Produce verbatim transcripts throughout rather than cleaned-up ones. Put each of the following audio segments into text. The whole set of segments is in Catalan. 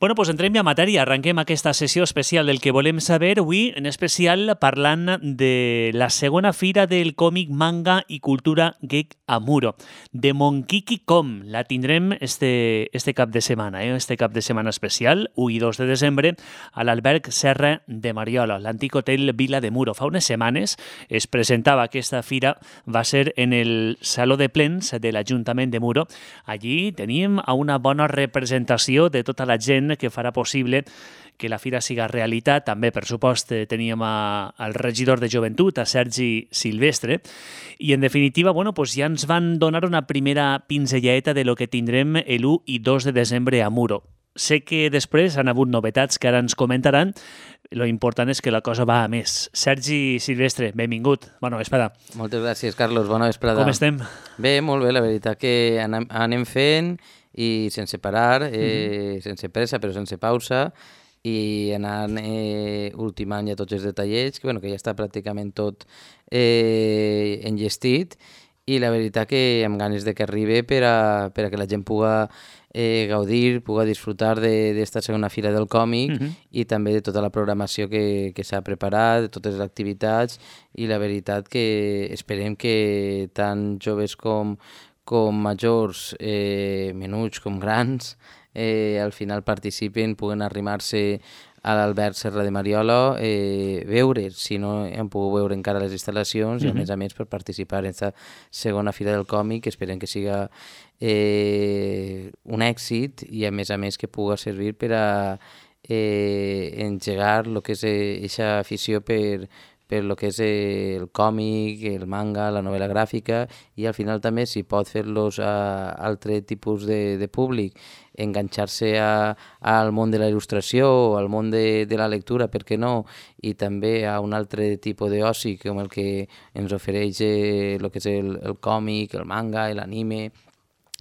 Bueno, doncs entrem ja a matèria. Arrenquem aquesta sessió especial del que volem saber. Avui, en especial, parlant de la segona fira del còmic, manga i cultura geek a Muro, de Monquiqui.com. La tindrem este, este cap de setmana, eh? este cap de setmana especial, u i dos de desembre, a l'Alberg Serra de Mariola, l'antic hotel Vila de Muro. Fa unes setmanes es presentava aquesta fira, va ser en el Saló de Plens de l'Ajuntament de Muro. Allí teníem una bona representació de tota la gent que farà possible que la fira siga realitat. També, per supost, teníem a, al regidor de Joventut, a Sergi Silvestre, i en definitiva, bueno, pues ja ens van donar una primera pinzelleta de lo que tindrem l'u i dos de desembre a Muro. Sé que després han hagut novetats que ara ens comentaran. Lo important és que la cosa va a més. Sergi Silvestre, benvingut. Bona vesprada. Moltes gràcies, Carlos. Bona vesprada. Com estem? Bé, molt bé. La veritat que anem, anem fent i sense parar, eh, mm-hmm. sense pressa però sense pausa, i anant eh, ultimant ja tots els detallets, que, bueno, que ja està pràcticament tot eh, enllestit, i la veritat que amb ganes de que arribi per a, per a que la gent puga eh, gaudir, puga disfrutar d'esta segona fira del còmic, mm-hmm. i també de tota la programació que, que s'ha preparat, de totes les activitats, i la veritat que esperem que tant joves com com majors, eh, menuts com grans, eh, al final participen, puguen arrimar-se a l'Alberg Serra de Mariola, eh, veure, si no hem pogut veure encara les instal·lacions, mm-hmm. i a més a més per participar en aquesta segona fira del còmic, que esperem que siga eh, un èxit, i a més a més que puga servir per a eh, engegar el que és aquesta afició per per lo que és el còmic, el manga, la novel·la gràfica, i al final també si pot fer-los a altre tipus de, de públic, enganxar-se a, al món de la il·lustració, al món de, de la lectura, per què no, i també a un altre tipus d'oci com el que ens ofereix el que és el, el còmic, el manga, l'anime,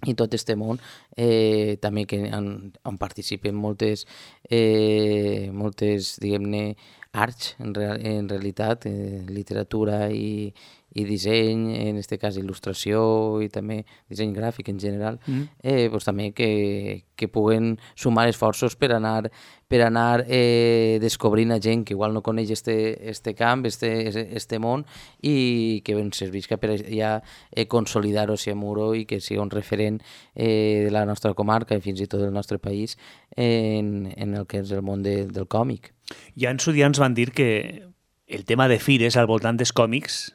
i tot este món, eh, també que en, on participen moltes, eh, moltes diguem-ne, arts, en, real, en realitat, eh, literatura i, i disseny, en aquest cas il·lustració i també disseny gràfic en general, mm. eh, doncs també que, que puguen sumar esforços per anar, per anar eh, descobrint a gent que igual no coneix este, este camp, este, este món, i que ens servisca per ja eh, consolidar-ho a Muro i que sigui un referent eh, de la nostra comarca i fins i tot del nostre país en, en el que és el món de, del còmic. Ja en su dia ens van dir que el tema de fires al voltant dels còmics,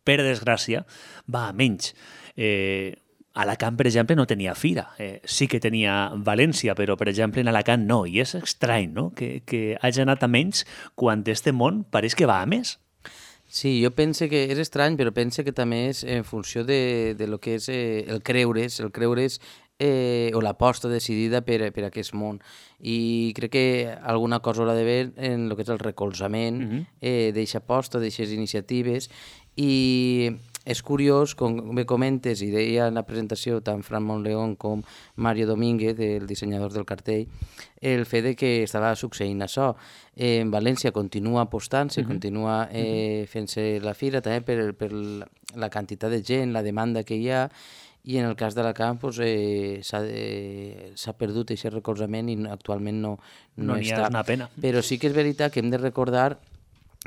per desgràcia, va a menys. Eh, Alacant, per exemple, no tenia fira. Eh, sí que tenia València, però, per exemple, en Alacant no. I és estrany, no?, que, que hagi anat a menys quan este món pareix que va a més. Sí, jo pense que és estrany, però pense que també és en funció de, de lo que és eh, el creure's, el creure's eh, o l'aposta decidida per, per aquest món. I crec que alguna cosa haurà d'haver en el que és el recolzament mm-hmm. eh, d'aquesta aposta, d'aquestes iniciatives, i és curiós, com bé comentes, i deia en la presentació tant Fran Montleón com Mario Domínguez, el dissenyador del cartell, el fet de que estava succeint això. Eh, en València continua apostant-se, mm-hmm. continua eh, fent-se la fira, també per, per la quantitat de gent, la demanda que hi ha, i en el cas d'Alacant pues, eh, s'ha eh, perdut aquest recolzament i actualment no, no, no està. És una pena. Però sí que és veritat que hem de recordar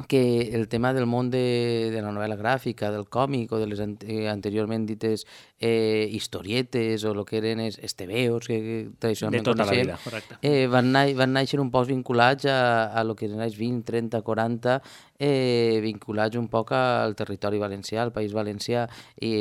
que el tema del món de, de la novel·la gràfica, del còmic o de les anteriorment dites eh, historietes o el que eren els tebeos que, que tradicionalment de tota coneixem, la vida, correcte. Eh, van, na van néixer un poc vinculats a, a lo que eren els vint, trenta, quaranta, eh, vinculats un poc al territori valencià, al País Valencià, i,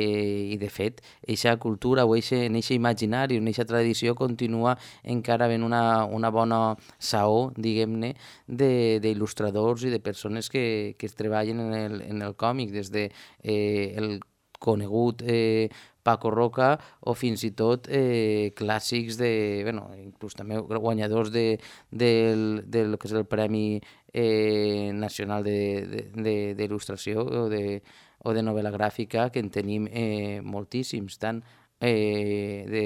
i de fet, eixa cultura o eixe, en eixe imaginari, en eixa tradició continua encara havent una, una bona saó, diguem-ne, d'il·lustradors i de persones que, que treballen en el, en el còmic, des de eh, el conegut eh, Paco Roca o fins i tot eh, clàssics de, bueno, inclús també guanyadors de, de, de lo que és el Premi eh, Nacional d'Il·lustració o de, o de novel·la gràfica, que en tenim eh, moltíssims, tant Eh, de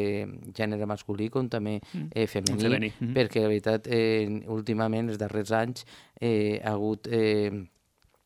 gènere masculí com també eh, femení, femení. Mm-hmm. perquè la veritat eh, últimament, els darrers anys eh, ha hagut eh,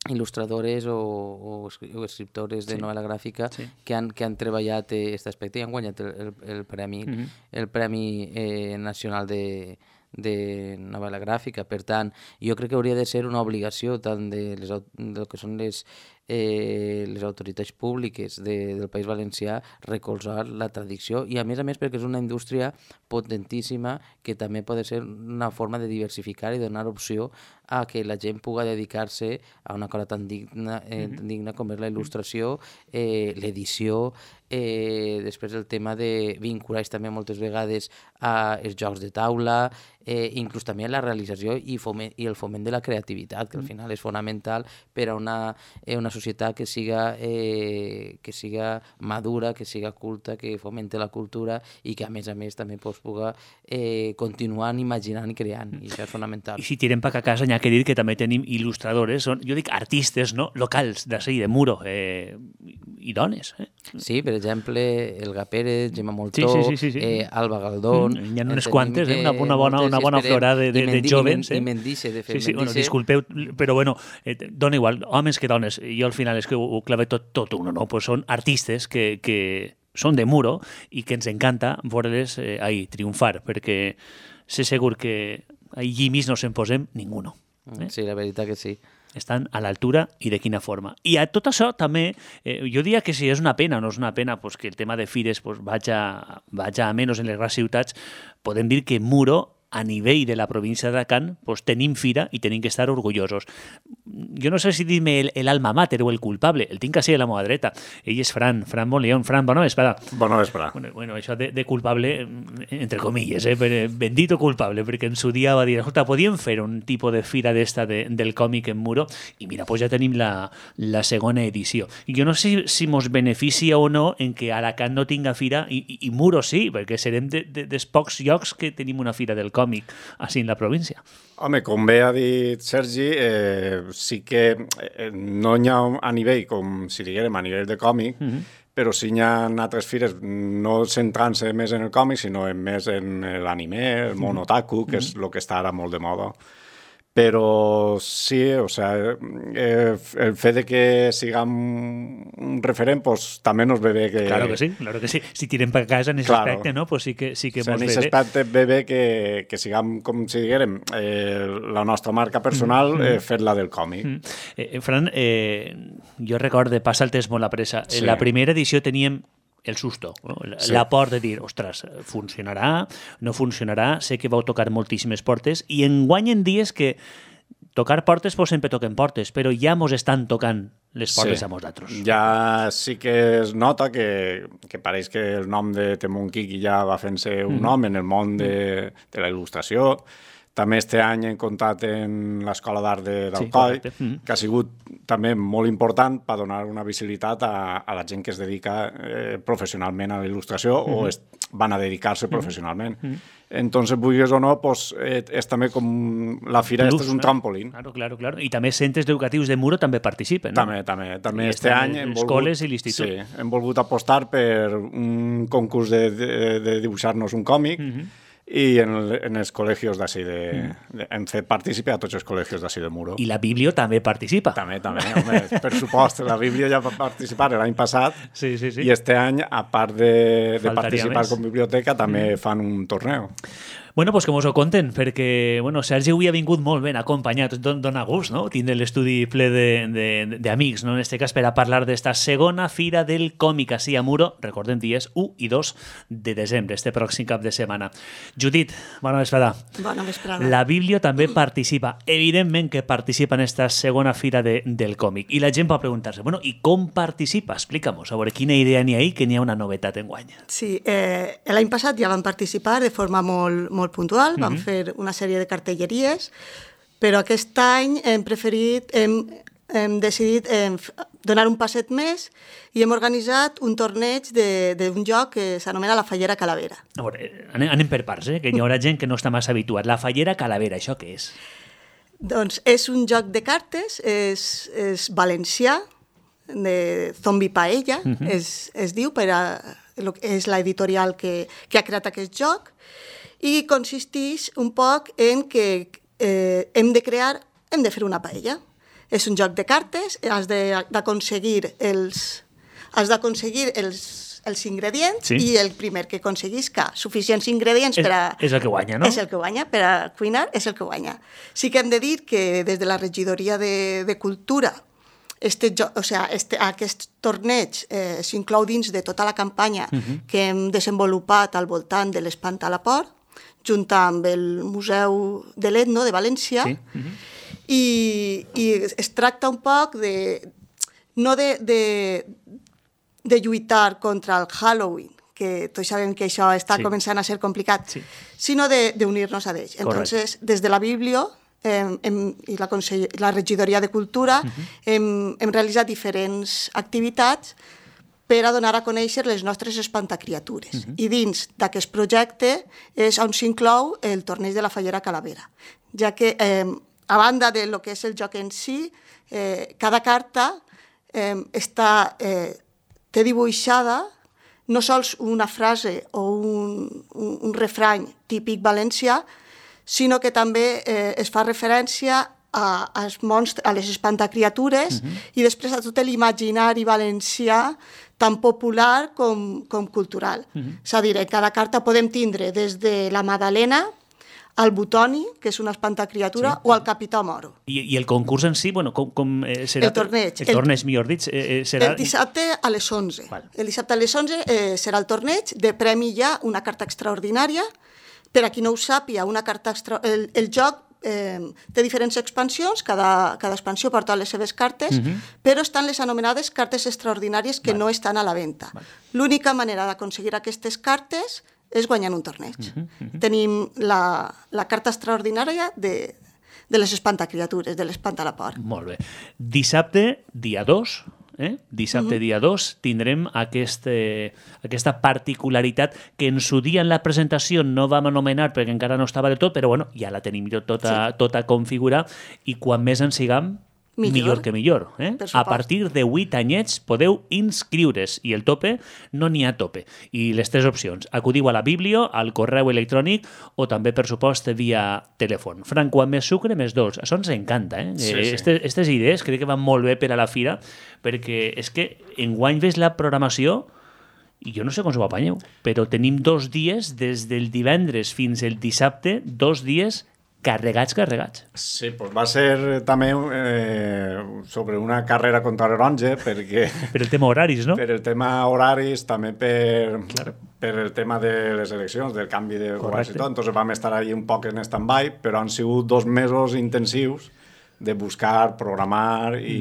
il·lustradores o, o escriptores de sí. novel·la gràfica sí. que, han, que han treballat aquest aspecte i han guanyat el, el, el premi, mm-hmm. el premi eh, nacional de de novel·la gràfica. Per tant, jo crec que hauria de ser una obligació tant de les, del que són les, eh, les autoritats públiques de, del País Valencià recolzar la tradició i, a més a més, perquè és una indústria potentíssima que també pot ser una forma de diversificar i donar opció a que la gent pugui dedicar-se a una cosa tan digna, eh, tan digna com és la il·lustració, eh, l'edició, eh, després el tema de vincular també moltes vegades als jocs de taula, eh, inclús també la realització i, foment, i el foment de la creativitat, que al final és fonamental per a una, eh, una societat que siga, eh, que siga madura, que siga culta, que fomente la cultura i que a més a més també pues, pugui eh, continuar imaginant i creant, i això és fonamental. I si tirem per a casa, n'hi ha que dir que també tenim il·lustradores, són, jo dic artistes, no? Locals, d'ací, de Muro, eh, i dones. Eh? Sí, per exemple, Elga Pérez, Gemma Moltó, sí, sí, sí, sí. Eh, Alba Galdón... Mm, hi ha unes quantes, eh? una, una bona, una bona florada de, de, de jovens. I Mendice, de fet. Sí, sí, bueno, disculpeu, però bueno, eh, dona igual, homes que dones. Jo al final és que ho, ho clave tot, tot uno, no? Pues són artistes que, que són de Muro i que ens encanta veure-les eh, ahí, triomfar, perquè sé segur que allí mis no se'n posem ninguno. Eh? Sí, la veritat que sí. Estan a l'altura i de quina forma. I a tot això també, eh, jo diria que si és una pena o no és una pena pues, que el tema de fires pues, vaja, vaja a menys en les grans ciutats, podem dir que Muro, a nivell de la província d'Alacant, pues, tenim fira i tenim que estar orgullosos. Jo no sé si dir-me el, el alma mater o el culpable, el tinc així a la meva dreta. Ell és Fran, Fran Bonleón. Fran, bona vesprada. Bona vesprada. Bueno, bueno, això de, de culpable, entre comilles, eh? Però, bendito culpable, perquè en su dia va dir, escolta, podíem fer un tipus de fira d'esta de, del còmic en Muro, i mira, pues ja tenim la, la segona edició. I jo no sé si mos beneficia o no en que Alacant no tinga fira, i, i, i Muro sí, perquè serem de, de, dels pocs llocs que tenim una fira del còmic així en la província. Home, com bé ha dit Sergi, eh, sí que eh, no hi ha a nivell, com si diguem, a nivell de còmic, mm-hmm. però sí hi ha altres fires no centrant-se més en el còmic, sinó més en l'anime, el món otaku, que és el que està ara molt de moda. Però sí, o sea, eh, el fet de que siguem un referent, pues també nos ve bé que... Claro que sí, claro que sí. Si tirem per casa en aquest claro. aspecte, no? Pues sí que, sí que o sea, mos ve bé. En aquest aspecte ve bé que, que siguem, com si diguem, eh, la nostra marca personal, mm. eh, fer-la del còmic. Mm. Eh, Fran, eh, jo recordo, passa el temps molt a pressa, sí. En la primera edició teníem el susto, no? Sí. La por de dir, ostres, funcionarà, no funcionarà, sé que vau tocar moltíssimes portes, i enguany en dies que tocar portes, pues sempre toquen portes, però ja mos estan tocant les portes sí. a nosaltres. Ja sí que es nota que, que pareix que el nom de Temon Kiki ja va fent-se un mm. nom en el món de, de la il·lustració. També este any hem comptat en l'Escola d'Art d'Alcoi, sí, mm. que ha sigut també molt important per donar una visibilitat a, a la gent que es dedica eh, professionalment a la il·lustració mm. o es, van a dedicar-se mm. professionalment. Mm. Entonces, vulguis o no, pues, eh, és també com la fira, Plus, este és un trampolín. Claro, claro, claro. I també centres educatius de Muro també participen, no? També, també. També este any hem volgut, escoles i l'institut. Sí, hem volgut apostar per un concurs de, de, de dibuixar-nos un còmic, mm-hmm. i en, en els col·legis d'ací de, de... Hem fet partícipe a tots els col·legis d'ací de Muro. I la Biblio també participa. També, també. Home, per supost, la Biblio ja va participar l'any passat sí, sí, sí. i este any, a part de, de participar més. Com biblioteca, també mm. fan un torneo. Bueno, pues que mos ho conten, perquè bueno, Sergi avui ha vingut molt ben acompanyat, don, dona gust, no? Tindre l'estudi ple d'amics, no? En este cas, per a parlar d'esta segona fira del còmic així a Muro, recordem dies u i dos de desembre, este pròxim cap de setmana. Judit, bona vesprada. Bona vesprada. La Biblio també participa, evidentment que participa en esta segona fira de, del còmic, i la gent va preguntar-se, bueno, i com participa? Explica-mos, a veure quina idea n'hi ha ahí, que n'hi ha una novetat enguany. Sí, eh, l'any passat ja van participar de forma molt, molt puntual, mm-hmm. vam fer una sèrie de cartelleries, però aquest any hem preferit, hem, hem decidit hem donar un passet més i hem organitzat un torneig d'un joc que s'anomena la Fallera Calavera. A veure, anem, anem per parts, eh? Que hi haurà gent que no està massa habituat. La Fallera Calavera, això què és? Doncs és un joc de cartes, és, és valencià, de Zombie Paella, mm-hmm. es, es diu, per a, és l'editorial que, que ha creat aquest joc, i consisteix un poc en que eh, hem de crear, hem de fer una paella. És un joc de cartes, has d'aconseguir els, has d'aconseguir els, els ingredients Sí. i el primer que aconseguisca suficients ingredients És, per a... és el que guanya, no? És el que guanya, per a cuinar és el que guanya. Sí que hem de dir que des de la regidoria de, de Cultura este, o sea, este, aquest torneig eh, s'inclou dins de tota la campanya uh-huh. que hem desenvolupat al voltant de l'Espant a la Por, junt amb el Museu de l'Etno de València, Sí. Uh-huh. i, i es tracta un poc de... no de, de, de lluitar contra el Halloween, que tots sabem que això està Sí. començant a ser complicat, Sí. sinó d'unir-nos a ells. Entonces, des de la Biblio eh, hem, i la, Consell, la Regidoria de Cultura uh-huh. hem, hem realitzat diferents activitats per a donar a conèixer les nostres espantacriatures. Uh-huh. I dins d'aquest projecte és on s'inclou el torneig de la Fallera Calavera, ja que eh, a banda de lo que és el joc en si, eh, cada carta eh, està, eh, té dibuixada no sols una frase o un, un, un refrany típic valencià, sinó que també eh, es fa referència a, als monstres, a les espantacriatures uh-huh. i després a tot l'imaginari valencià tan popular com, com cultural. Uh-huh. És a dir, en cada carta podem tindre des de la Madalena al Butoni, que és una espantacriatura, sí. o al Capità Moro. I, I el concurs en si, bueno, com, com eh, serà? El torneig. El torneig, millor dit, eh, serà... El dissabte a les onze. Val. El dissabte a les onze eh, serà el torneig. De premi hi ha una carta extraordinària. Per a qui no ho sàpiga, una carta extra... el, el joc eh, té diferents expansions, cada, cada expansió porta les seves cartes, uh-huh. però estan les anomenades cartes extraordinàries que Val. No estan a la venda. Val. L'única manera d'aconseguir aquestes cartes és guanyant un torneig. Uh-huh, uh-huh. Tenim la, la carta extraordinària de, de les espantacriatures, de l'Espant a la Por. Molt bé. Dissabte, dia dos, eh? Dissabte, uh-huh. dia dos, tindrem este, aquesta particularitat que en su dia en la presentació no vam anomenar perquè encara no estava de tot, però bueno, ja la tenim tota, sí. tota configurada i quan més en sigam, Millor, millor que millor. Eh? A partir de vuit anyets podeu inscriure's i el tope no n'hi ha tope. I les tres opcions. Acudiu a la Biblio, al correu electrònic o també, per supost, via telèfon. Fran, quan més sucre, més dolç. Això ens encanta. Eh? Sí, sí. Estes, estes idees crec que van molt bé per a la fira perquè és que enguany ves la programació i jo no sé com s'ho apanyeu, però tenim dos dies des del divendres fins el dissabte, dos dies carregats, carregats. Sí, doncs va ser també eh, sobre una carrera contra l'Orange, perquè... Per el tema horaris, no? Per el tema horaris, també per, claro. per el tema de les eleccions, del canvi de governs i tot. Entonces vam estar ahí un poc en stand-by, però han sigut dos mesos intensius de buscar, programar i,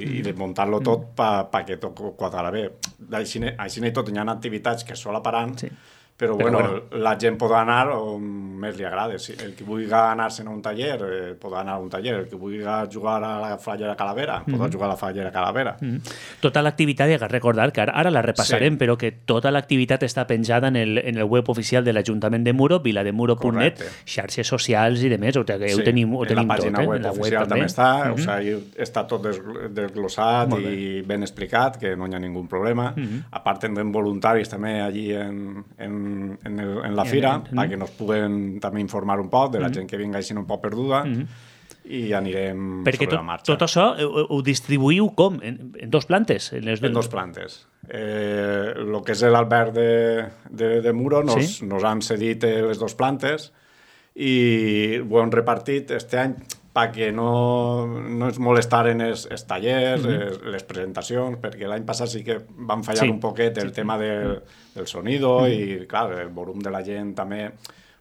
mm. i de muntar-lo tot mm. perquè pa que tot quadrarà bé. Així, així i tot, hi ha activitats que sola paran, sí. Però, però bueno, bueno, la gent pot anar on més li agrada. Si el que vulgui anar-se'n a un taller, eh, pot anar a un taller. El que vulgui jugar a la Fallera Calavera, mm-hmm. pot jugar a la Fallera Calavera. Mm-hmm. Tota l'activitat, he de recordar que ara, ara la repassarem, sí. però que tota l'activitat està penjada en el, en el web oficial de l'Ajuntament de Muro, vilademuro punt net, xarxes socials i demés. O sigui, ho sí. tenim, ho tenim en la pàgina tot. web eh? En la oficial web també, també està, mm-hmm. o sigui, està tot desglossat i ben explicat, que no hi ha ningú problema. Mm-hmm. A part, tindrem voluntaris també allí en, en En, el, en la fira, mm -hmm. perquè nos puguen també informar un poc de la mm -hmm. gent que vinga així un poc perduda mm -hmm. i anirem perquè sobre tot, la marxa. Tot això ho, ho distribuïu com? En, en dos plantes? En, les... en dos plantes. Eh, lo que és l'alberg de, de, de Muro nos, sí? nos han cedit les dos plantes i ho hem repartit este any perquè no, no ens molestaren els, els tallers, mm-hmm. les, les presentacions, perquè l'any passat sí que van fallar sí. un poquet el sí. tema del, del sonido mm-hmm. i, clar, el volum de la gent també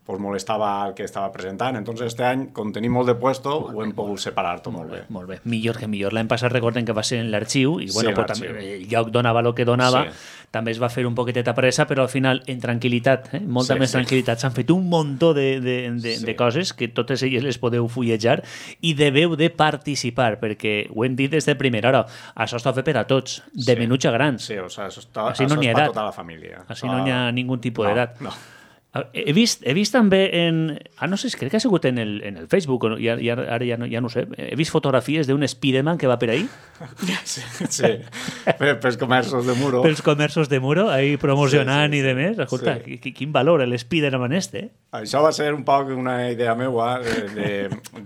pues, molestava el que estava presentant. Entonces, este any, com tenim molt de puesto, molt ho hem pogut separar tot molt, molt bé. Molt bé, millor que millor. L'any passat recorden que va ser en l'arxiu i bueno, sí, pues, també, el lloc donava el que donava, sí. també es va fer un poquetet a pressa, però al final, en tranquil·litat, eh? molta sí, més sí. tranquil·litat, s'han fet un muntó de, de, de, sí. de coses que totes elles les podeu fullejar i deveu de participar, perquè ho hem dit des de primera hora, això està fet per a tots, de sí. menuts a grans. Sí, o sea, això, està, Així això no és ha per edat. Tota la família. Així no hi ha ningú tipus no, d'edat. No. He vist, he vist també en... Ah, no sé, crec que ha sigut en el, en el Facebook, i ara, ara ja, no, ja no sé. He vist fotografies d'un Spiderman que va per ahí. Sí, sí. Pels comerços de Muro. Pels comerços de Muro, ahí promocionant sí, sí, i de més. Escolta, sí. quin valor l'Spiderman este, eh? Això va ser un poc una idea meua, de, de,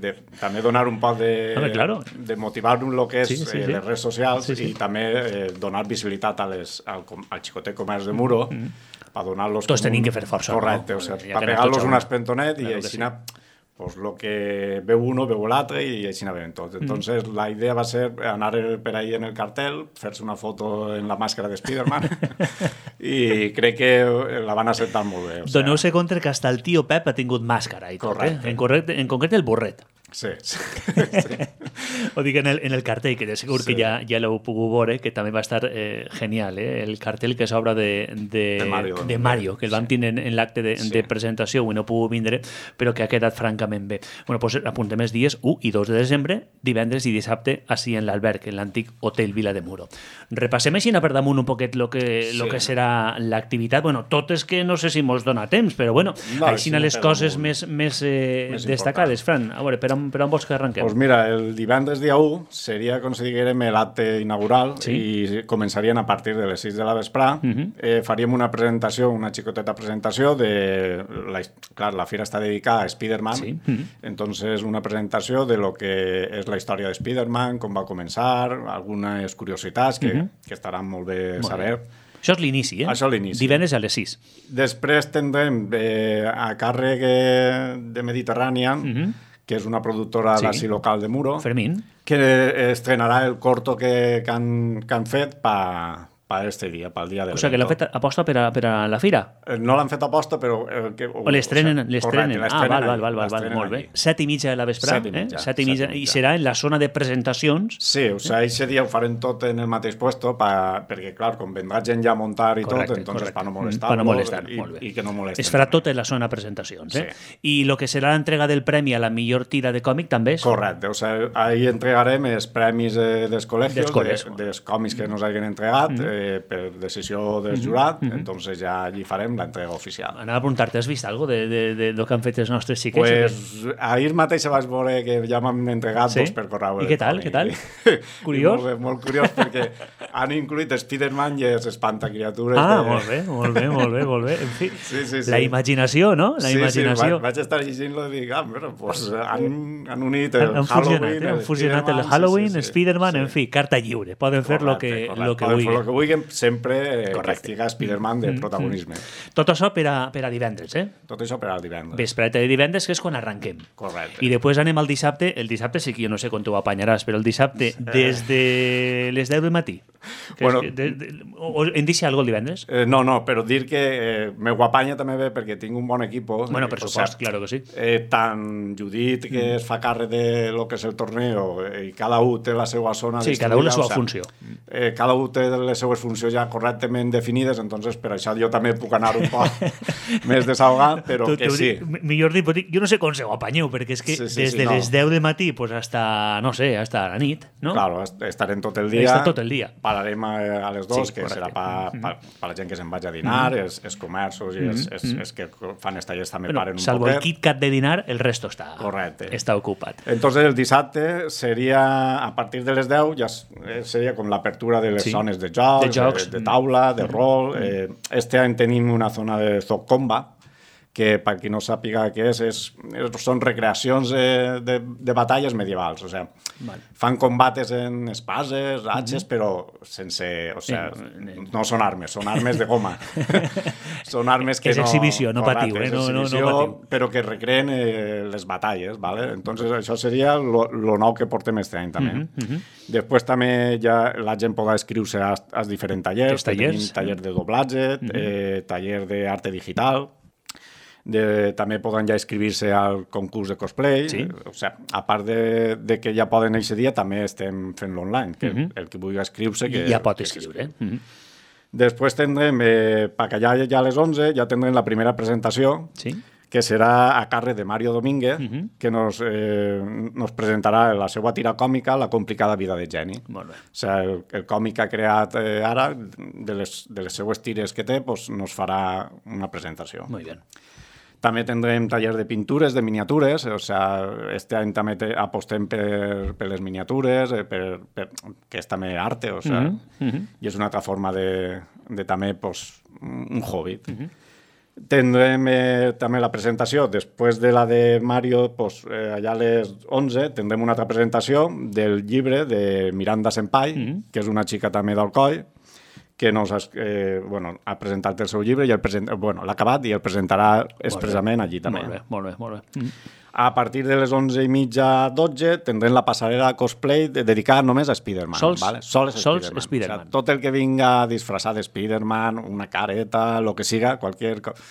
de també donar un poc de, Home, claro. de motivar-nos el que és Sí, sí, sí. eh, les redes socials Sí, sí. i també eh, donar visibilitat a les, al, com- al xicotet comerç de Muro, mm-hmm. per donar-los... Tots com tenim un- que fer força, Correcte, no? o sigui, Ja per que anem pegar-los tots a un una. espentonet i Claro que així sí. pues lo que veu uno, veu l'altre i així veuen tots. Entonces, mm. la idea va ser anar per ahí en el cartel, fer-se una foto en la màscara de Spiderman i crec que la van acceptar molt bé. O sea, Doneu-se compte que hasta el tio Pep ha tingut màscara i tot, Correcte. eh? En, correcte, en concret el burret. Sí, sí. sí. Ho dic en el, en el cartell, que de segur Sí. que ja, ja l'heu pogut veure, que també va estar eh, genial, eh? El cartell que s'obre de, de, De Mario. de Mario, que el vam tenir en, en l'acte de, Sí. de presentació, avui no puc vindre, però que ha quedat francament bé. Bueno, doncs apuntem els dies u i dos de desembre, divendres i dissabte, així en l'Alberg, en l'antic Hotel Vila de Muro. Repassem així per damunt un poquet lo que, lo Sí. que serà l'activitat. Bueno, tot és que no sé si mos dona temps, però bueno, No, així així no les per coses damunt. més, més, eh, Més destacades. Fran, a veure, per on, per on vols que arrenquem? Pues mira, el divendres dia u seria, com si diguérem, l'acte inaugural Sí. i començarien a partir de les sis de la vesprà. Uh -huh. eh, faríem una presentació, una xicoteta presentació de... La, clar, la fira està dedicada a Spiderman, Sí. Uh -huh. entonces una presentació de lo que és la història de Spiderman, com va començar, algunes curiositats que, uh -huh. que estaran molt bé Molt saber. bé. Això és l'inici, eh? Això és l'inici. Divendres a les sis. Després tindrem eh, a càrrec eh, de Mediterranean, uh -huh. que és una productora Sí. d'ací local de Muro, Fermín. que estrenarà el corto que, que, han, que han fet per pa este dia, pel dia del O sigui, que l'han fet aposta per a, per a la fira. No l'han fet aposta, però... Eh, que, O l'estrenen, o sea, l'estrenen. correcte, Ah, val, val, allí, val, val, val, l'estrenen molt bé. allí. Set i mitja de la vesprà, Set i eh? mitja, Set i set i mitja. I mitja. serà en la zona de presentacions. Sí, o sigui, aquest dia ho farem tot en el mateix puesto, pa, perquè, clar, com vendrà gent ja a muntar i Correcte, tot, entonces correcte. per no Mm, molestar-lo per no molestar, i, molt bé. i que no molesten. Es farà tot en la zona de presentacions, eh? Sí. I el que serà l'entrega del premi a la millor tira de còmic també és... Correcte, o sigui, ahí entregarem els premis eh, dels col·legis, Dels col·legis. de, dels còmics que nos hagin entregat, mm. eh, per decisió del jurat, mm -hmm. entonces ja allí farem l'entrega oficial. Anava a preguntar-te, has vist alguna de, de, de, de que han fet els nostres xiquets? Pues ahir mateix vaig veure que ja m'han entregat Sí? dos per correu I què tal, electrònic. què tal? I Curiós? molt, bé, molt curiós, perquè han incluït Spiderman i els espantacriatures. Ah, de... molt bé, molt bé, molt bé, molt bé. En fi, Sí, sí, sí. la imaginació, no? La sí, imaginació. sí, vaig, vaig estar llegint-lo i dic, ah, bueno, pues han, han unit el Han, han fusionat, Halloween, eh? han fusionat el Spiderman, Halloween, sí, sí, sí. Spiderman, Sí. en fi, carta lliure. Poden fer lo que, Correcte, lo que Poden fer vulguin. lo que vulguin, sempre eh, que Correcte. estiga Spiderman de protagonisme. Tot això per a, per a divendres, eh? Tot això per al divendres. Vespreta de divendres, que és quan arrenquem. Correcte. I després anem al dissabte. El dissabte sí que jo no sé quan tu ho apanyaràs, però el dissabte des de les deu del matí. Que Bueno. és, de, de, o, em deixa alguna cosa el divendres? Eh, no, no, però dir que eh, me guapanya també bé perquè tinc un bon equip. Bueno, per supost, claro que sí. Eh, tant Judit, que es fa càrrec de lo que és el torneo, eh, i cada un té la seva zona Sí, cada un la distribuïda, seva o sea, funció. Eh, cada un té les seues funcions ja correctament definides, entonces per això jo també puc anar un poc més desahogat, però Tu- que tu sí. dic, mi- millor dit, dic, jo no sé com se ho apanyeu, perquè és que Sí, sí, des sí, de no. les deu del matí pues, hasta, no sé, hasta la nit, no? Claro, est- estarem tot el dia. Està tot el dia. Pararem a, a les dos, Sí, que correcte. serà per pa, pa la gent que se'n vagi a dinar, els, els comerços i els, els, els que fan els tallers també Bueno, paren un salvo el poquet. Kit Kat de dinar, el resto està, Correcte. està ocupat. Entonces el dissabte seria, a partir de les deu, ja s- eh, seria com l'apertura de les Sí. zones de jocs, De jocs. de, de taula, de rol. Eh, este any tenim una zona de Zocomba, que per qui no sàpiga què és, és, és són recreacions de, de, de batalles medievals, o sigui, Vale. fan combates en espases, atxes, però sense, o sigui, Sí. no són armes, són armes de goma. Són armes que És no... exhibició, no correcte, patiu, eh? és No- no- no exhibició, patiu. però que recreen eh, les batalles, ¿vale? Entonces això seria lo, lo nou que portem este any també. Mhm, mhm. Després també ja la gent podrà inscriure als, als diferents tallers. Els tallers. Tenim taller de doblatge, eh, taller d'arte digital, de, també poden ja inscriure-se al concurs de cosplay. Sí. O sigui, a part de, de que ja poden aquest dia, també estem fent l'online, que Mhm. el que vulgui inscriure-se... Que, Ja pot que escriure. Eh? Mhm. Després tindrem, eh, perquè ja, ja a les onze, ja tindrem la primera presentació, Sí. que serà a càrrec de Mario Domínguez, Mhm. que nos, eh, nos presentarà la seva tira còmica, La complicada vida de Jenny. Molt bé. O sigui, el, el còmic que ha creat eh, ara, de les, de les seues tires que té, pues, nos farà una presentació. Molt bé. També tindrem taller de pintures, de miniatures, o sigui, este any també te, apostem per, per les miniatures, per, per, que és també arte, o sigui, mm -hmm. i és una altra forma de, de també pues, un hobby. Mm -hmm. Tindrem eh, també la presentació, després de la de Mario, pues, eh, allà a les onze, tindrem una altra presentació del llibre de Miranda Senpai, mm -hmm. que és una xica també d'Alcoi, que nos has, eh, bueno, ha presentat el seu llibre i el present, bueno, l'ha acabat i el presentarà expressament allí també. Molt bé, molt bé, molt bé. Mm. A partir de les onze i mitja, dotze, tindrem la passarel·la cosplay dedicada només a Spider-Man. Sols, vale? Sols, sols Spider-Man. Spider-Man. O sea, tot el que vinga disfressat de Spider-Man, una careta, lo que siga, qualsevol cosa.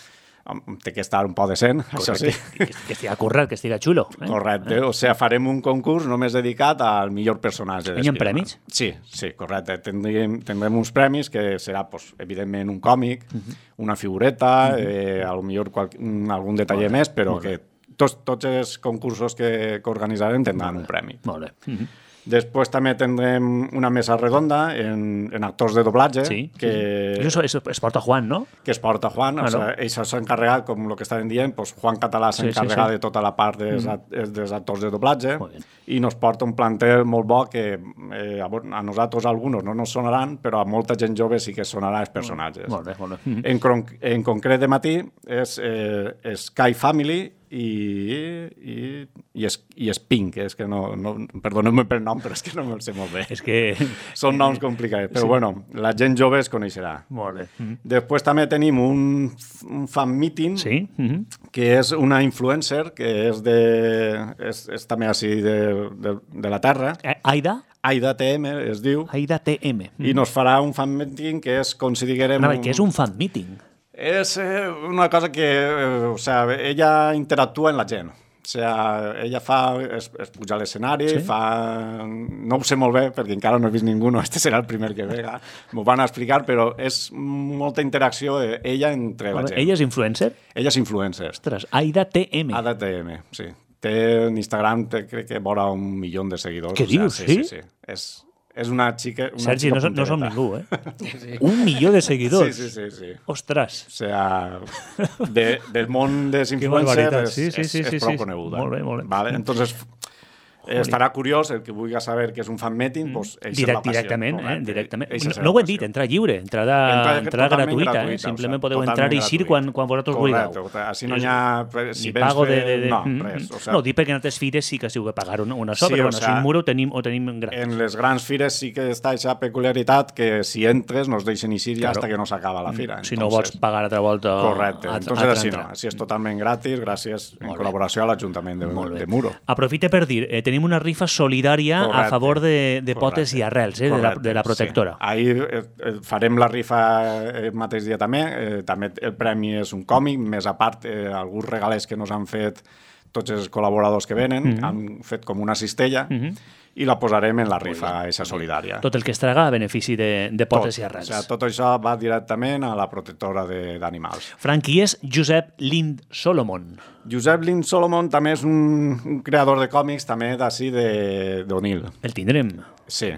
Té que estar un poc decent, això sí. Que, que, que estigui currat, que estigui xulo. Eh? Correcte. Eh? O sigui, farem un concurs només dedicat al millor personatge de Spider-Man. Spider-Man. Hi ha premis? Sí, sí, correcte. Tindrem, tindrem uns premis que serà, pues, evidentment, un còmic, uh -huh. una figureta, uh -huh. eh, a lo millor qual, algun detall més, però que tots, tots els concursos que, que organitzarem tindran un premi. Molt bé. Uh -huh. Després també tindrem una mesa redonda en, en actors de doblatge. Sí, que, sí. Això es, es porta Juan, no? Que es porta Juan. Ah, o sigui, no? Ell s'ha encarregat, com el que estaven dient, doncs Juan Català s'ha sí, encarregat sí, sí. de tota la part dels, mm. dels actors de doblatge i nos porta un plantel molt bo que eh, a nosaltres alguns no ens sonaran, però a molta gent jove sí que sonarà els personatges. Molt bé, molt bé. Mm. En, en concret de matí és eh, Sky Family i, i, i, és, i és Pink, és que no, no perdoneu-me pel nom, però és que no me'l sé molt bé. És que... Són noms complicats, però sí. Bueno, la gent jove es coneixerà. Molt bé. Mm -hmm. Després també tenim un, un fan meeting, sí? mm -hmm. que és una influencer, que és, de, és, és també així de, de, de la Terra. Aida? Aida T M es diu. Aida T M. Mm. I nos farà un fan meeting que és, com si diguérem... No, un... Què és un fan meeting? És eh, una cosa que, eh, o sea, ella interactua amb la gent. O sea, ella fa, es, es puja a l'escenari, sí? fa... No ho sé molt bé, perquè encara no he vist ningú, no, este serà el primer que vega, m'ho van explicar, però és molta interacció eh, ella entre la gent. Ella és influencer? Ella és influencer. Ostres, Aida T M. Aida T M, sí. Té en Instagram, té, crec que vora un milió de seguidors. Què o sea, dius, sí? Sí, sí, sí. És... És una xica... Una Sergi, xica no, no som ningú, eh? Sí. Un milió de seguidors? Sí, sí, sí. sí. Ostres! O sea, de, del món dels influencers sí, sí, sí, és, és, sí, és prou sí. coneguda. Molt bé, molt bé. Vale? Entonces, eh, estarà curiós, el que vulgui saber què és un fan meeting, mm. pues, Direct, directament, eh? directament. No, no ho hem dit, entrada lliure, entrada, entrada gratuïta, gratuïta, eh? Simplement o sea, podeu entrar i eixir quan, quan vosaltres vulgueu. Així no hi ha... Si ni pago de... de, de... No, res. O sea, no, dic perquè en altres fires sí que si heu de pagar una, una sola, sí, però bueno, o sea, si un muro ho tenim, ho tenim gratis. En les grans fires sí que està aquesta peculiaritat que si entres nos deixen eixir ja claro. hasta que no s'acaba la fira. Si entonces, no vols pagar altra volta... Correcte. A, Entonces, a així no. Així és totalment gratis, gràcies en col·laboració a l'Ajuntament de, de Muro. Aprofite per dir, eh, tenim una rifa solidària Correcte. A favor de, de potes i arrels, eh, de, la, de la protectora. Sí. Ahir eh, farem la rifa el mateix dia també. Eh, també el premi és un còmic, més a part eh, alguns regalets que nos han fet tots els col·laboradors que venen, mm -hmm. han fet com una cistella mm -hmm. i la posarem en la rifa esa solidària. Tot el que es traga a benefici de, de potes tot, i arrels. O sigui, tot això va directament a la protectora d'animals. Frank, qui és Josep Lind Solomon? Josep Lind Solomon també és un, un creador de còmics, també d'ací d'Onil. El tindrem? Sí.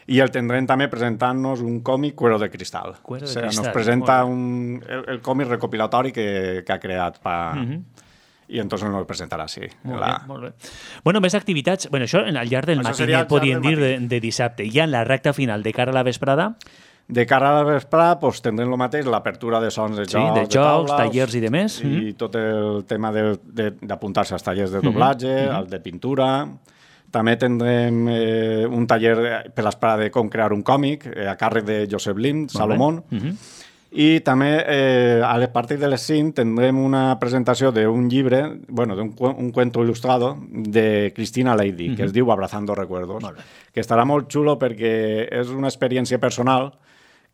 I el tindrem també presentant-nos un còmic Cuero de Cristal. Cuero de o sigui, Cristal. Nos presenta un, el, el còmic recopilatori que, que ha creat pa... Mm -hmm. i entonces no el presentarà, sí. Molt la... bé, molt bé. Bueno, més activitats. Bueno, això al llarg del matí, podríem dir, de, de dissabte. Ja en la recta final, de cara a la vesprada... De cara a la vesprada, pues, tindrem el mateix, l'apertura de sons de sí, jocs, de, de jocs, taules, tallers i demés. I mm-hmm. tot el tema d'apuntar-se als tallers de doblatge, mm-hmm. el de pintura... També tindrem eh, un taller per l'esperada de com crear un còmic, eh, a càrrec de Josep Lind, Salomón, mm-hmm. I també eh, a partir de les cinc tindrem una presentació d'un llibre, bueno, d'un un cuento il·lustrado de Cristina Lady, mm-hmm. que es diu Abrazando Recuerdos, que estarà molt xulo perquè és una experiència personal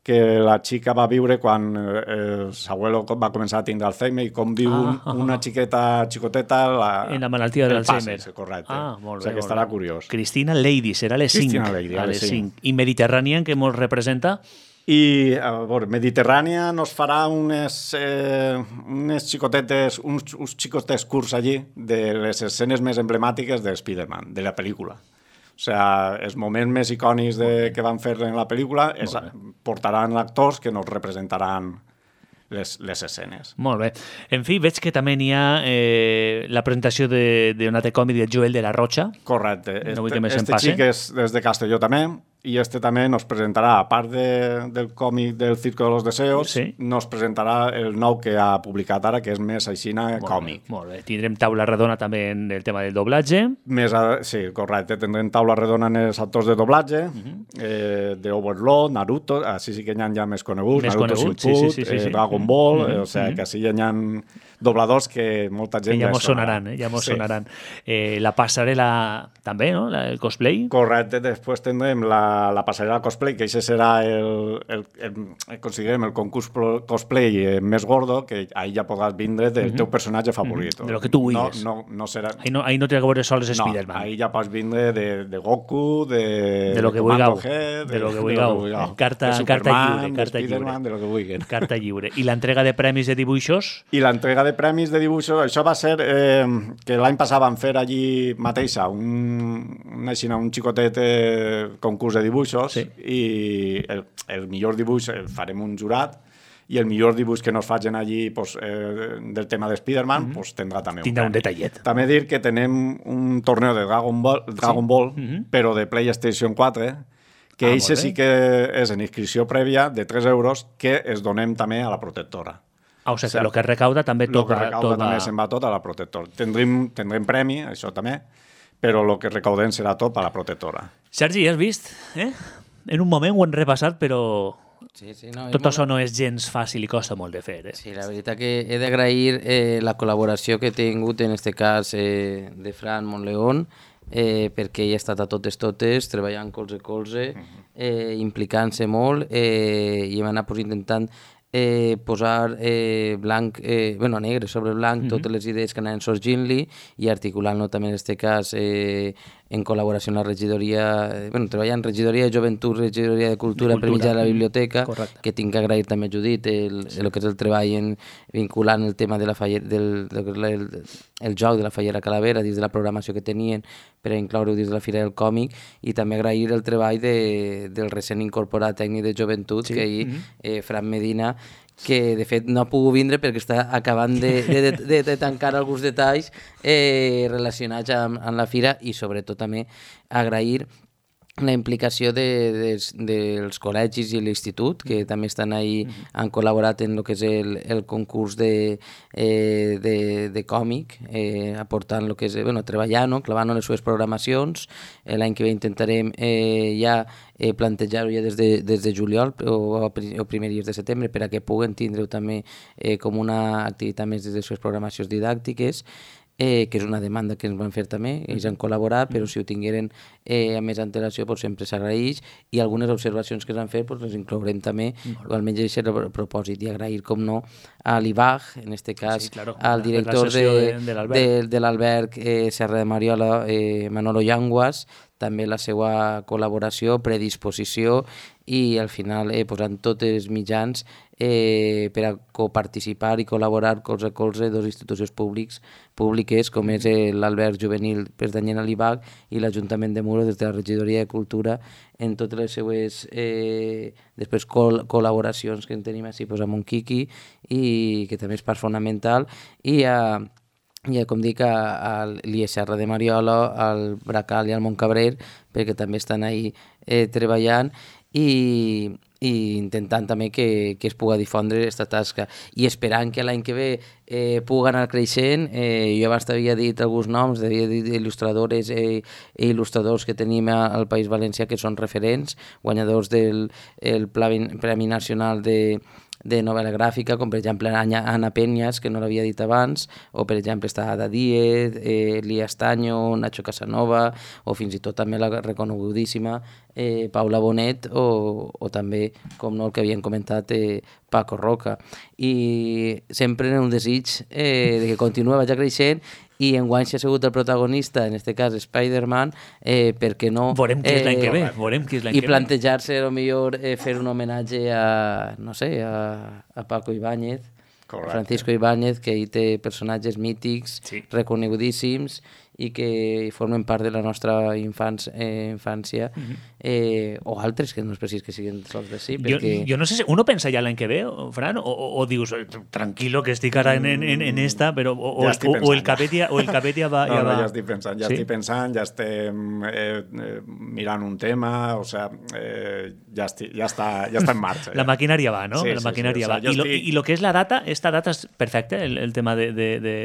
que la xica va viure quan eh, l'abuelo va començar a tindre Alzheimer i com viu ah, ah, una xiqueta, xicoteta... La, en la malaltia de l'Alzheimer. Correcte. Ah, molt bé, o sigui que estarà curiós. Cristina Lady, serà a les cinc. Cristina Lady, a les cinc. I Mediterranean, que ens representa... I, a veure, Mediterrània nos farà unes, eh, unes xicotetes, uns, uns xicotes curts allí de les escenes més emblemàtiques de Spider-Man, de la pel·lícula. O sigui, els moments més icònics de, que van fer en la pel·lícula es, portaran actors que nos representaran les, les escenes. Molt bé. En fi, veig que també n'hi ha eh, la presentació d'un altre còmic de Joel de la Rocha. Correcte. No vull que Este, més em este passe. xic és des de Castelló també, i este també nos presentarà, a part de, del còmic del Circo de los Deseos, Sí. nos presentarà el nou que ha publicat ara, que és més aixina Molt còmic. bé, molt bé. Tindrem taula redona també en el tema del doblatge. Més a, sí, correcte. Tindrem taula redona en els actors de doblatge, uh -huh. eh, de Overlord, Naruto, així sí que hi ha ja més coneguts, Més Naruto coneguts, Shippuden, sí, sí, sí, sí. eh, Dragon Ball, Uh -huh. eh, o sigui Uh -huh. que sí hi ha dobladors que molta gent Que ja ja mos sonaran, eh? Ja mos Sí. sonaran. Eh, la passarel·la també, no? La, el cosplay. Correcte, després tindrem la, la passarel·la cosplay, que això serà el, el, el, el, considerem el concurs pro- cosplay eh, més gordo, que ahí ja podràs vindre del uh -huh. teu personatge favorit. De lo que tu no, vulguis. no, no serà... Ahí no, ahí no té que veure sols No, Spider-Man. ahí ja pots vindre de, de Goku, de, De lo que Comando vulgueu. G, De lo que vulgueu. Carta- de carta Superman, lliure, de carta Spiderman, lliure. de lo que vulguin. Carta lliure. I l'entrega de premis de dibuixos? I l'entrega de premis de dibuixos, això va ser eh, que l'any passat van fer allí mateixa un, un, aixina, un xicotet eh, concurs de dibuixos Sí. i el, el millor dibuix el farem un jurat i el millor dibuix que nos facin allí pues, eh, del tema de Spider-Man mm -hmm. pues, tindrà també Tindrà un un premi. detallet. També dir que tenem un torneo de Dragon Ball, Dragon Sí. Ball Mm -hmm. però de PlayStation quatre, que Ah, eixe molt bé. sí que és en inscripció prèvia de tres euros que es donem també a la protectora. Ah, o sigui, O sea, que el que recauda també El tot que va... recauda tot també va... se'n va tot a la protectora. Tindrem, tindrem premi, això també, però el que recaudem serà tot a la protectora. Sergi, has vist? Eh? En un moment ho hem repassat, però Sí, sí, no, és tot molt- això no és gens fàcil i costa molt de fer. Eh? Sí, la veritat que he d'agrair eh, la col·laboració que he tingut, en este cas, eh, de Fran Montleón, eh, perquè ell ha estat a totes totes, treballant colze a colze, eh, implicant-se molt, eh, i hem anat pues, intentant eh, posar eh, blanc, eh, bueno, negre sobre blanc, uh -huh. totes les idees que anaven sorgint-li i articulant-lo també en aquest cas eh, en col·laboració amb la regidoria, eh, bueno, treballant regidoria de joventut, regidoria de cultura, De per mitjà de la cultura. biblioteca, Correcte. que tinc que agrair també a Judit el, sí. el que és el treball en, vinculant el tema de la fallera, del, del el, el joc de la Fallera Calavera dins de la programació que tenien per a incloure-ho dins de la Fira del Còmic, i també agrair el treball de, del recent incorporat tècnic de joventut, Sí. que ahir Mhm. eh, Fran Medina, que de fet no ha pogut vindre perquè està acabant de, de, de, de tancar alguns detalls eh, relacionats amb, amb la fira, i sobretot també agrair la implicació de, dels, dels col·legis i l'institut, que també estan ahí, han col·laborat en el que és el, el concurs de, eh, de, de còmic, eh, aportant el que és, bueno, treballant, no? Clavant les seves programacions. Eh, L'any que ve intentarem eh, ja eh, plantejar-ho ja des de, des de juliol o, o primers dies de setembre, per a que puguen tindre-ho també eh, com una activitat més des de les seves programacions didàctiques, eh, que és una demanda que ens van fer també, ells han col·laborat, però si ho tingueren eh, amb més antelació pues, sempre s'agraeix, i algunes observacions que s'han fet pues, les inclourem també, o almenys això era el propòsit, i agrair, com no, a l'I B A G, en este cas, Sí, claro, al la- director la sessió de, de- de l'Alberg. de, de l'Alberg eh, Serra de Mariola, eh, Manolo Llanguas, també la seva col·laboració, predisposició, i al final eh, posant tots els mitjans eh, per a coparticipar i col·laborar colze a colze dos institucions públics, públiques com és eh, l'Alberg Juvenil pertanyent a l'I B A G i l'Ajuntament de Muro des de la Regidoria de Cultura, en totes les seues eh, després col col·laboracions que en tenim així pues, amb un Kiki, i que també és part fonamental, i a i com dic, a, a l'I E Serra de Mariola, al Bracal i al Montcabrer, perquè també estan ahí eh, treballant, i, i intentant també que, que es pugui difondre aquesta tasca, i esperant que l'any que ve eh, pugui anar creixent. Eh, jo abans t'havia dit alguns noms, t'havia dit il·lustradores eh, i il·lustradors que tenim al País Valencià que són referents, guanyadors del el Premi Nacional de de novel·la gràfica, com per exemple Anna Peñas, que no l'havia dit abans, o per exemple està Ada Díez, eh, Lía Estaño, Nacho Casanova, o fins i tot també la reconegudíssima eh, Paula Bonet, o, o també, com no, el que havien comentat, eh, Paco Roca. I sempre en un desig eh, de que continuï, vagi creixent, i enguany si ha sigut el protagonista, en aquest cas Spider-Man, eh, per què no... Veurem qui és l'any eh, que ve, veurem qui és l'any i que ve. plantejar-se, a lo millor, eh, fer un homenatge a, no sé, a, a Paco Ibáñez, Correcte. Francisco Ibáñez, que ell té personatges mítics, Sí. reconegudíssims, i que formen part de la nostra infància, eh, infància eh, o altres que no és precís que siguin sols d'ací. Perquè... Jo, jo no sé si uno pensa ja l'any que ve, Fran, o, o, o dius, tranquilo que estic ara en, en, en esta, però o, o, ja o, o el capet ja, o el capet ja va... No, ja, no, va... ja estic pensant, ja sí? estic pensant, ja estem eh, eh, mirant un tema, o sea, eh, ja, estic, ja, està, ja està en marxa. La ja. maquinària va, no? Sí, la sí, maquinària sí, o sea, va. I, lo, estic... I lo que és la data, esta data és perfecta, el, el tema de, de, de...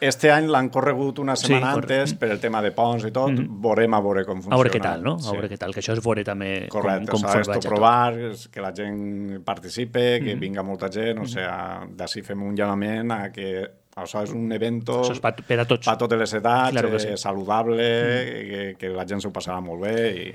Este any l'han corregut una setmana sí, antes per el tema de ponts i tot, mm-hmm. veurem a veure com funciona. A veure què tal, no? A sí. veure què tal, que això és veure també correcte, com, com o sea, esto provar, que la gent participe, que mm-hmm. vinga molta gent, o sea, d'ací fem un llamament a que això és un evento això és per, per a tots, per a totes les edats, claro que sí. eh, saludable, mm. que, que la gent s'ho passarà molt bé i...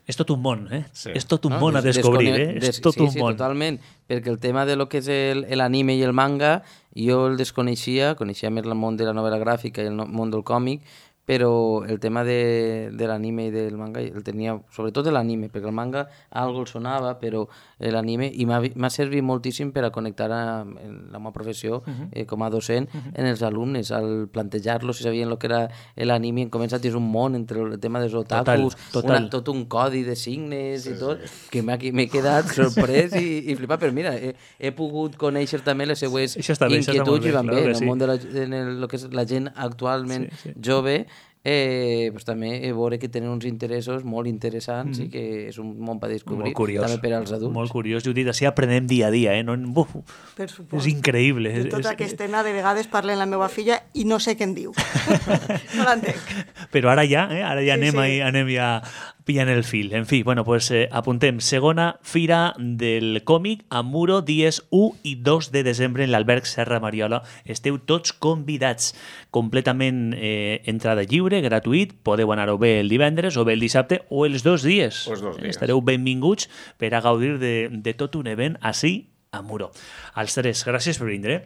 És tot un món, eh? Sí. És tot un no, món a descobrir, eh? Des, és tot sí, un sí, món. Totalment, perquè el tema de lo que és l'anime i el manga, jo el desconeixia, coneixia més el món de la novel·la gràfica i el món del còmic, però el tema de, de l'anime i del manga el tenia, sobretot de l'anime, perquè el manga algo el sonava, però l'anime, i m'ha servit moltíssim per a connectar amb la meva professió uh-huh. eh, com a docent uh-huh. en els alumnes, al plantejar-los si sabien el que era l'anime, en començat és un món entre el tema dels otakus, total, total. Una, tot un codi de signes sí, i tot, sí. que m'he quedat sorprès i, i flipat, però mira, he, he pogut conèixer també les seues bé, inquietuds i van bé, en el sí. món de la, en el, el que és la gent actualment sí, sí. jove, Eh, pues també he veure que tenen uns interessos molt interessants mm. i que és un món per descobrir, també per als adults. Molt curiós, Judit, així aprenem dia a dia, eh? No, buf, per és increïble. Jo tota aquesta tema de vegades parlo amb la meva filla i no sé què em diu. No l'entenc. Però ara ja, eh? Ara ja sí, anem, sí. Ahí, anem ja pillant el fil. En fi, bueno, pues eh, apuntem. Segona Fira del Còmic a Muro, dies u i dos de desembre en l'Alberg Serra Mariola. Esteu tots convidats. Completament eh, entrada lliure, gratuït. Podeu anar o bé el divendres o bé el dissabte o els dos dies. Els dos dies. Estareu benvinguts per a gaudir de, de tot un event així a Muro. Als tres, gràcies per vindre.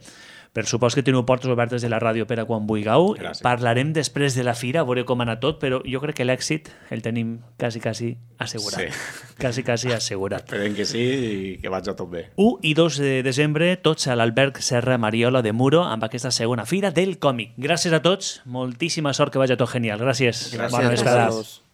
Per supòs que teniu portes obertes de la ràdio per a quan vulgueu. Gràcies. Parlarem després de la fira, a veure com ha anat tot, però jo crec que l'èxit el tenim quasi, quasi assegurat. Sí. Quasi, quasi assegurat. Esperem que sí i que vagi tot bé. u i dos de desembre, tots a l'Alberg Serra Mariola de Muro, amb aquesta segona fira del còmic. Gràcies a tots, moltíssima sort, que vagi tot genial. Gràcies. Gràcies. Bona vesprada.